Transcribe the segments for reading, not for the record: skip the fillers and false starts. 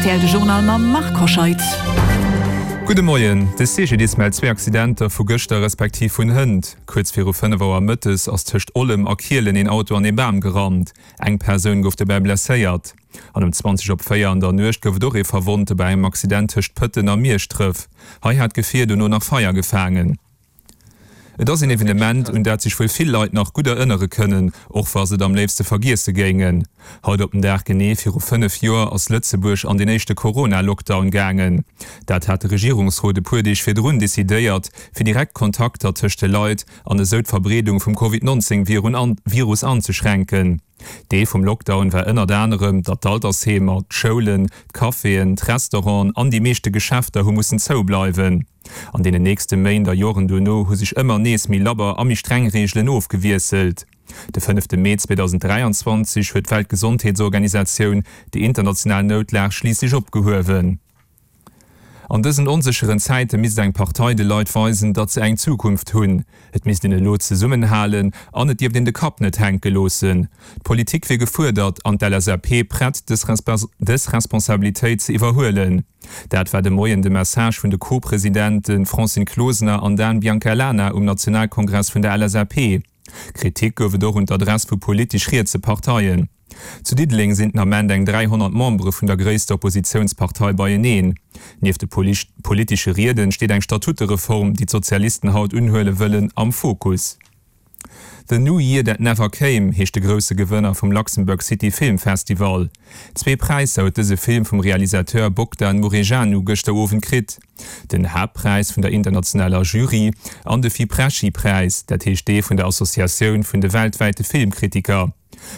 rtl de Journal mam Marc Hoscheid. Gudde Moien, De CGDIS mellt zwee Accidenter vu gëschter respektiv vun hënt. Kuerz viru 5 Auer mëttes ass tëscht Ollem a Kielen een Auto an ee Bam gerannt. Eng Persoun gouf dobäi blesséiert. An um 20 op 4 an der Nuecht gouf et och ee Verwonnte bei engem Accident tëscht Pëtten a Mierschdref. Hei hat d'Gefier dono nach Feier gefaangen. Et ass een Evenement, un dat sech wuel vill Leit nach gutt erënnere kënnen, och wa se et am léifste vergiesse géingen. Haut op den Dag genee viru 5 Joer ass Lëtzebuerg an deen éischte Corona-Lockdown gaangen. Dat hat de Regierungsrot e puer Deeg virdrun decidéiert, fir direkt Kontakter tëscht de Leit an esou d'Verbreedung vum Covid 19 Virus anzeschränken. Deel vum Lockdown war ënnert anerem, datt d'Altersheemer, d'Schoulen, d'Caféen, d'Restauranten an déi meeschte Geschäfter hu mussen zoubleiwen. An deenen nächste Méint a Joren dono hu sech ëmmer nees méi labber a méi streng Reegelen ofgewiesselt. De fënnefte Mee 2023 huet d'Weltgesondheetsorganisatioun déi international Noutlag schliisslech opgehuewen. An dësen onsécheren Zäite misst eng Partei de Leit weisen, datt se eng Zukunft hunn. Et misst een elo zesummenhalen an et dierft een de Kapp net hänke loossen. D'Politik wier gefuerdert an d'LSAP prett dës Responsabilitéit ze iwwerhuelen. Dat war de Moien de Message vun de Co-Presidente Francine Closener an Dan Biancalana um Nationalkongress vun der LSAP. Kritik gouf et och un d'Adress vu politesch rietse Parteien. Zu Diddeleng sinn den Ament eng 300 Membere vun der gréisster Oppositiounspartei beieneen. Nieft de politesche Rieden steet eng Statutereform, déi d'Sozialisten haut unhuele wëllen, am Fokus. The New Year That Never Came heescht de grousse Gewënner vum Luxembourg City Film Festival. Zwee Präisser huet dëse Film vum Realisateur Bogdan Murejanu gëschter Owend kritt. Den Haaptpräis vun der internationaler Jury an de Fipresci-Präis, dat heescht dee vun der Associatioun vun de weltwäite Filmkritiker.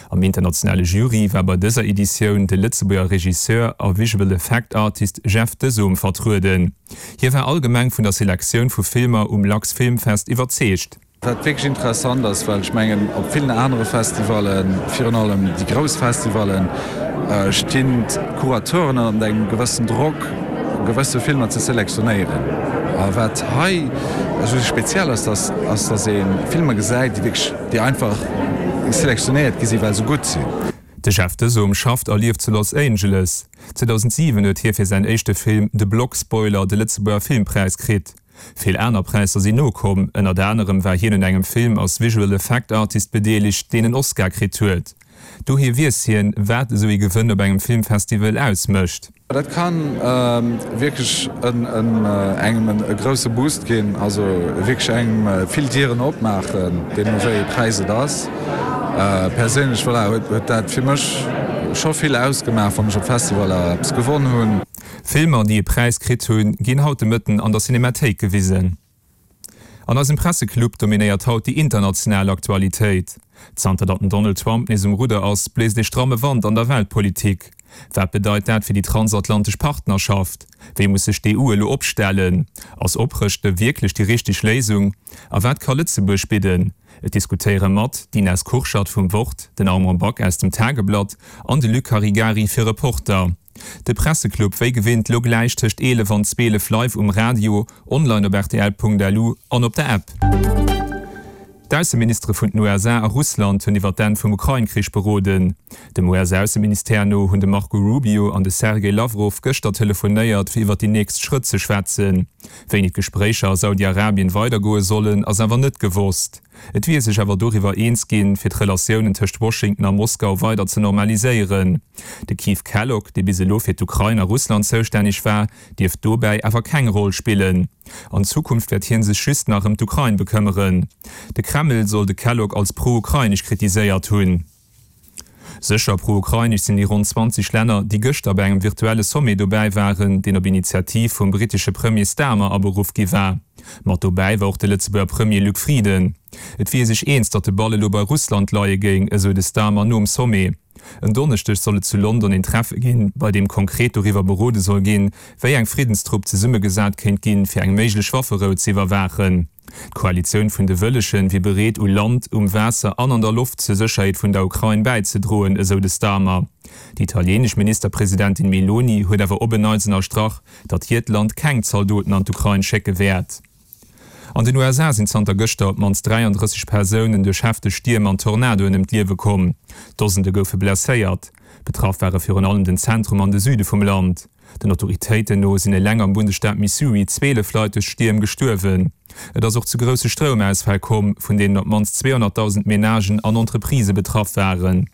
Am internationale Jury war bei dëser Editioun de Lëtzebuerger Regisseur a Visual Effect Artist Jeff Desom vertrueden. Hie war allgemeng vun der Selektioun vu Filmer um Lux Film Fest iwwerzeegt. Wat wierklech interessant ass, well ech mengen, op villen anere Festivallen, virun allem déi grouss Festivallen, stinn d'Curateuren ënnert engem gewëssen Drock, gewësse Filmer ze selektionéieren. A wat hei esou speziell ass, dass ass, dass ee Filmer gesäit, déi wierklech, déi einfach selektionéiert gi sinn, well se gutt sinn. De Jeff Desom schafft a lieft zu Los Angeles. 2007 huet hie fir säin éischte Film De Blog Spoiler de Lëtzebuerger Filmpräis kritt. Vill aner Präisser sinn nokomm, ënnert anerem war hien un engem Film als Visual Effect Artist bedeelegt, deen en Oscar kritt huet. Dohier weess hien, wat esou ee Gewënn op engem Filmfestival ausmécht. Dat ka wierklech engem e grousse Boost ginn, also wierklech engem vill Dieren opmaachen, deemno wéi ee Präis et ass. Perséinlech, voilà, huet dat fir mech scho vill ausgemaach, wann ech op Festivaller eppes gewonn hunn. Filmer, déi e Präis kritt hunn, ginn haut de Mëtten an der Cinemathéik gewisen. An eisem Presseclub dominéiert haut déi international Aktualitéit. Zanter datt den Donald Trump nees um Rudder ass, bléist ee stramme Wand an der Weltpolitik. Wat bedeit dat fir déi transatlantesch Partnerschaft? Wéi muss sech d'EU elo opstellen? Ass Oprëschte wierklech déi richteg Léisung? A wat ka Lëtzebuerg bidden? Et diskutéiere mat, d'Ines Kurschat vum Wort, den Armand Back aus dem Tageblatt an de Luc Caregari fir Reporter. De Presseclub wéi gewinnt lo gläich tëscht 11 an 12 live um Radio, online op rtl.lu an op der App. D'Ausseministere vun den USA a Russland hunn iwwer d'Enn vum Ukrain-Krich beroden. Dem US-Ausseministère no hunn de Marco Rubio an de Sergej Lawrow gëschter telefonéiert, fir iwwer déi nächst Schrëtt ze schwätzen. Wéini d'Gespréicher a Saudi-Arabien weidergoe sollen, ass awer net gewosst. Et wier ee sech awer doriwwer eens ginn, fir d'Relatiounen tëscht Washington a Moskau weider ze normaliséieren. De Keith Kellogg, dee bis elo fir d'Ukrain a Russland zoustänneg war, dierft dobäi awer keng Roll spillen. An Zukunft wäert hie sech just nach ëm d'Ukrain bekëmmeren. De Kreml soll de Kellogg als pro-ukrainesch kritiséiert hunn. Sécher pro-ukrainesch sinn déi ronn 20 Länner, déi gëschter bei engem virtuelle Sommet dobäi waren, deen op Initiativ vum brittesche Premier Starmer aberuff gi war. Mat dobäi war och de Lëtzebuerger Premier Luc Frieden. Et wier ee sech eens, datt de Ball elo bei Russland leie géing, esou de Starmer nom Sommet. En Donneschdeg soll et zu London een Treffe ginn, bei deem konkret doriwwer berode soll ginn, wéi eng Friddenstrupp zesummegesat kéint ginn, fir eng méiglech Wafferou ze iwwerwaachen. D'Koalitioun vun de Wëllegen wier bereet, u Land, um Waasser an an der Loft zur Sécherheet vun der Ukrain bäizedroen, esou de Starmer. Déi italienesch Ministerpresidentin Meloni huet awer op en Neits ënnerstrach, datt hiert Land keng Zaldoten an d'Ukrain schécke wäert. An den USA sinn zanter gëschter op d'mannst 33 Persounen duerch hefteg Stierm an Tornadoen ëm d'Liewe komm. Dosende goufe blesséiert. Betraff ware virun allem den Zentrum an de Süde vum Land. Den Autoritéiten no sinn eleng am Bundesstaat Missouri 12 Leit duerch d'Stierm gestuerwen. Et ass och zu grousse Stroumausfäll komm, vun deenen op d'mannst 200.000 Menagen an Entreprisë betraff waren.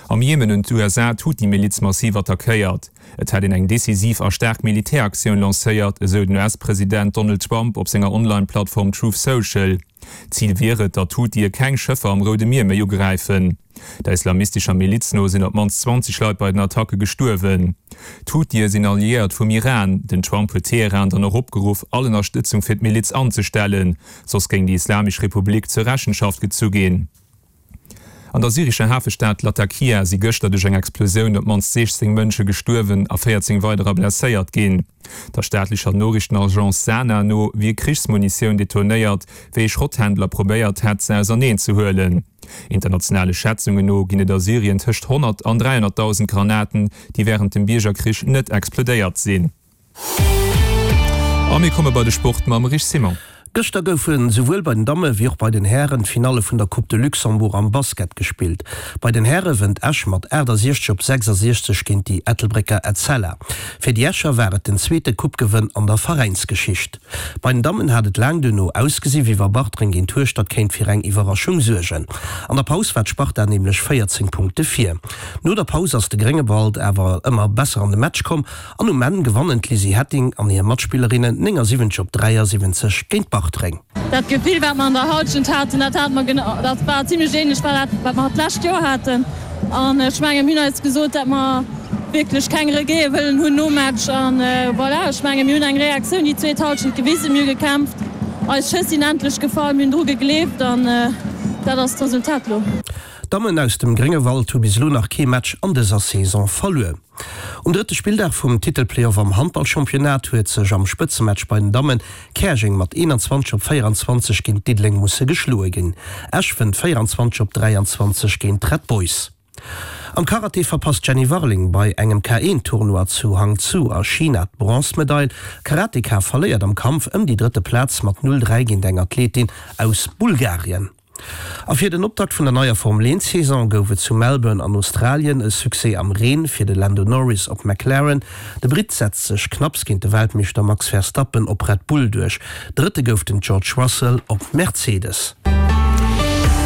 Am Jemen hunn d'USA d'Huthi-Miliz massiv attackéiert. Et hätt een eng decisiv a staark Militäraktioun lancéiert, esou den US-President Donald Trump op senger Online-Plattform Truth Social. Zil wier et, datt d'Huthie keng Schëffer am Roude Mier méi ugräifen. Der islamistescher Miliz no sinn op d'mannst 20 Leit bei den Attacke gestuerwen. D'Huthie sinn Alliéiert vum Iran. Den Trump huet Teheran dann och opgeruff, all Ënnerstëtzung fir d'Miliz anzestellen, soss géing déi Islamesch Republik zur Rechenschaft gezu ginn. An der syrescher Hafestad Latakia si gëschter duerch eng Explosioun op d'mannst 16 Mënsche gestuerwen a 14 weiderer blesséiert ginn. Der staatlecher Noriichtenagence Sana no wier Krichsmunitioun detonéiert, wéi ee Schrotthändler probéiert hätt, se auserneen ze huelen. Internationale Schätzungen no ginn et a Syrien tëscht 100 an 300.000 Granaten, déi wärend dem Biergerkrich net explodéiert sinn. A mir komme bei de Sport mam Rich Simon. Gëschter goufe souwuel bei den Damme wéi och bei den Hären d'Finalle vun der Coupe de Luxembourg am Basket gespillt. Bei den Häre wënnt Esch mat 68 op 66 géint déi Ettelbrécker Etzella. Fir déi Escher war et den zweete Coupe-Gewënn an der Veräinsgeschicht. Bei den Dammen hat et laang duerno ausgesi wéi wa Bartreng géint Hueschtert kéint fir eng Iwwerraschung suergen. An der Paus war d'Sparta nämlech 14 Punkte vir. No der Paus ass de Gréngewald awer ëmmer besser an de Match komm An um Enn gewannen d'Lizzy Hetting an hir Matspillerinnen 79 op 73 géint Bartreng. Dat Gefill wat mer an der Halschent haten, dat hate mer genau, dat war zimlech ähnlech wei dat wat mer d'lescht Joer haten. An ech mengen mir hunn eis gesot, dat mer wierklech keng Regrete wëllen hunn nom Match. An voilà, ech mengen mir hunn eng Reaktioun déi zweet Halschent gewisen, mir hu gekämpft, eis Schëss sinn endlech gefall, mir hunn dru gegleeft an dat ass d'Resultat elo. D'Dammen aus dem Gréngewald hu bis elo nach kee Match an dëser Saison verluer. Um drëtte Spilldag vum Titelplayoff am Handballchampionnat huet sech am Spëtzematch bei den Dammen Käerjeng mat 21 op 24 géint Diddeleng musse geschloe ginn. Esch wënnt 24 op 23 géint d'Red Boys. Am Karate verpasst d'Jenny Warling bei engem K1-Tournoi zu Hangzhou a China d'Bronzemedail. D'Karateka verléiert am Kampf ëm déi drëtte Plaz mat 0, 3 géint eng Athletin aus Bulgarien. A fir den Optakt vun der neier Formel 1 Saison gouf et zu Melbourne an Australien e Succès am Reen fir de Lando Norris op McLaren. De Britt setzt sech knapps géint de Weltmeeschter Max Verstappen op Red Bull duerch. Drëtte gouf den George Russell op Mercedes.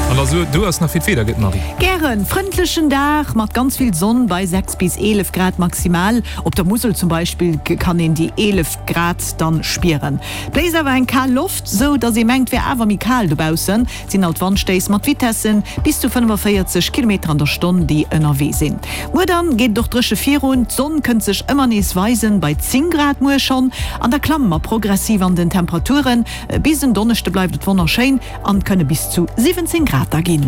An da so, du ass nach fir d'Wieder gëtt, Marie. Gären. Frëndlechen Dag mat ganz vill Sonn bei 6 bis 11 Grad maximal. Op der Musel zum Beispill kann een déi 11 Grad dann spieren. Bléist awer eng kal Loft, sou dass ee mengt wär awer méi kal dobaussen. Et sinn alt Wandstéiss mat Vitessen bis zu 45 Kilometer an der Stonn déi ënnerwee sinn. Muer dann geet et och dréche virun, d'Sonn kënnt sech ëmmer nees weisen, bei 10 Grad muer schonn, an da klamme mer progressiv an den Temperaturen. Bis en Donneschde bleift et wonnerschéin an et kënne bis zu 17 Grad da ginn.